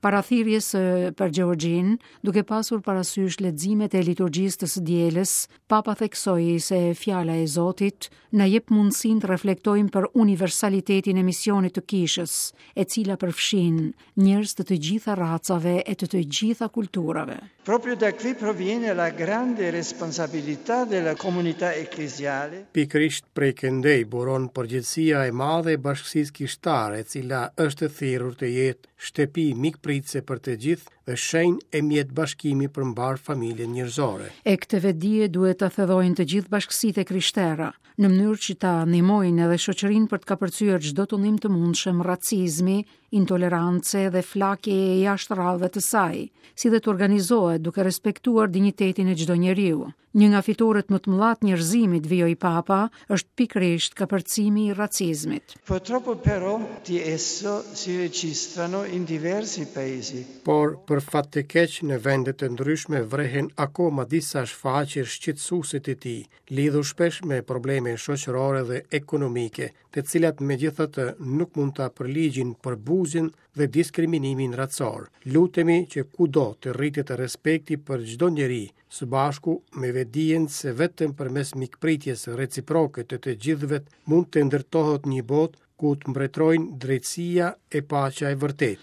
Para thirrjes për Gjeorgjinë, duke pasur parasysh leximet e liturgjisë të së dielës, Papa theksoi se fjala e Zotit na jep mundësinë të reflektojmë për universalitetin e misionit të Kishës, e cila përfshin njerëz të të gjitha racave e të të gjitha kulturave. Proprio da qui proviene la grande responsabilità della comunità ecclesiale. Pikërisht prej këndej buron përgjegjësia e madhe e bashkësisë kishtare, e cila është e thirrur të jetë shtëpi mikpritëse për të gjithë dhe shenjë e mjet bashkimi për mbarë familjen njerëzore. E këtë vetëdije duhet ta thellojnë të gjithë bashkësitë e krishtera, në mënyrë që ta ndihmojnë edhe shoqërinë për të kapërcyer çdo tundim të mundshëm racizmi, intolerance dhe flakjeje jashtë radhëve të saj, si dhe të organizohet duke respektuar dinjitetin e çdo njeriu. Një nga fitoret më të mëdha të njerëzimit, vijoi Papa, është pikërisht kapërcimi i racizmit. Purtroppo però di esso si registrano in diversi paesi. Por, për fat të keq, në vende të ndryshme vrehen akoma disa shfaqje shqetësuese të tij, lidhur shpesh me probleme shoqërore dhe ekonomike, të cilat megjithatë nuk mund ta përligjin përbuzjen dhe diskriminimin racor. Lutemi që kudo të rritet respekti për çdo njeri, së bashku me vetëdijen se vetëm përmes mikpritjes reciproke të të gjithëve mund të ndërtohet një botë ku të mbretërojnë drejtësia e paqja e vërtetë.